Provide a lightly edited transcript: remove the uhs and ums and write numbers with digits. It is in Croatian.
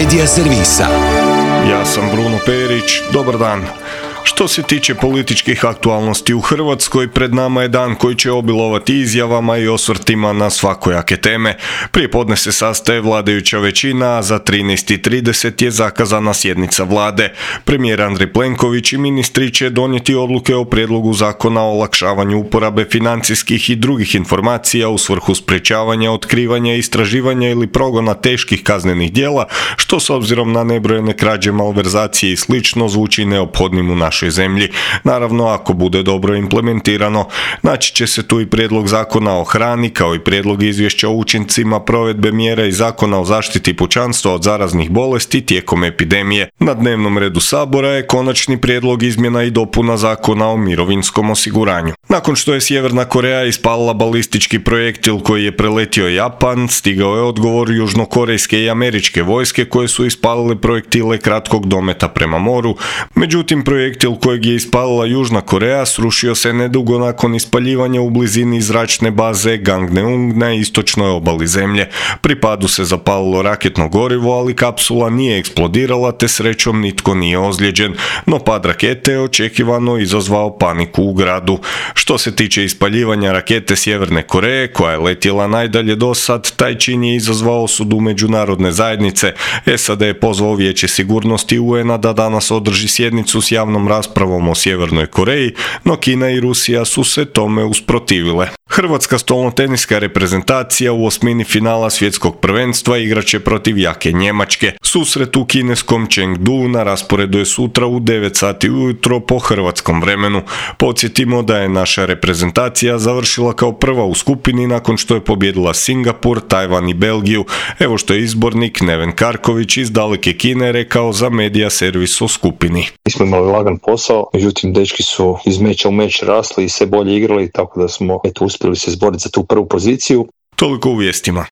Medija servisa. Ja sam Bruno Perić, dobar dan. Što se tiče političkih aktualnosti u Hrvatskoj, pred nama je dan koji će obilovati izjavama i osvrtima na svakojake teme. Prije podne se sastaje vladajuća većina, a za 13:30 je zakazana sjednica vlade. Premijer Andrej Plenković i ministri će donijeti odluke o prijedlogu zakona o olakšavanju uporabe financijskih i drugih informacija u svrhu sprječavanja, otkrivanja, istraživanja ili progona teških kaznenih djela, što s obzirom na nebrojene krađe, malverzacije i slično zvuči neophodnim u našoj zemlji. Naravno, ako bude dobro implementirano. Naći će se tu i prijedlog zakona o hrani, kao i prijedlog izvješća o učincima provedbe mjera i zakona o zaštiti pučanstva od zaraznih bolesti tijekom epidemije. Na dnevnom redu Sabora je konačni prijedlog izmjena i dopuna zakona o mirovinskom osiguranju. Nakon što je Sjeverna Koreja ispalila balistički projektil koji je preletio Japan, stigao je odgovor južnokorejske i američke vojske koje su ispalile projektile kratkog dometa prema moru. Međutim, projektil kojeg je ispalila Južna Koreja srušio se nedugo nakon ispaljivanja u blizini zračne baze Gangneung na istočnoj obali zemlje. Pri padu se zapalilo raketno gorivo, ali kapsula nije eksplodirala te srećom nitko nije ozlijeđen, no pad rakete je očekivano izazvao paniku u gradu. Što se tiče ispaljivanja rakete Sjeverne Koreje, koja je letjela najdalje do sad, taj čin je izazvao osudu međunarodne zajednice. SAD je pozvao Vijeće sigurnosti UN-a da danas održi sjednicu s javnom raspravom o Sjevernoj Koreji, no Kina i Rusija su se tome usprotivile. Hrvatska stolnoteniska reprezentacija u osmini finala svjetskog prvenstva igraće protiv jake Njemačke. Susret u kineskom Chengdu na rasporedu je sutra u 9 sati ujutro po hrvatskom vremenu. Podsjetimo da je naša reprezentacija završila kao prva u skupini nakon što je pobijedila Singapur, Tajvan i Belgiju. Evo što je izbornik Neven Karković iz daleke Kine rekao za Medija servis o skupini. Mi smo imali lagan posao, međutim dečki su iz meča u meč rasli i sve bolje igrali, tako da smo uspjeli se izboriti za tu prvu poziciju. Toliko u vijestima.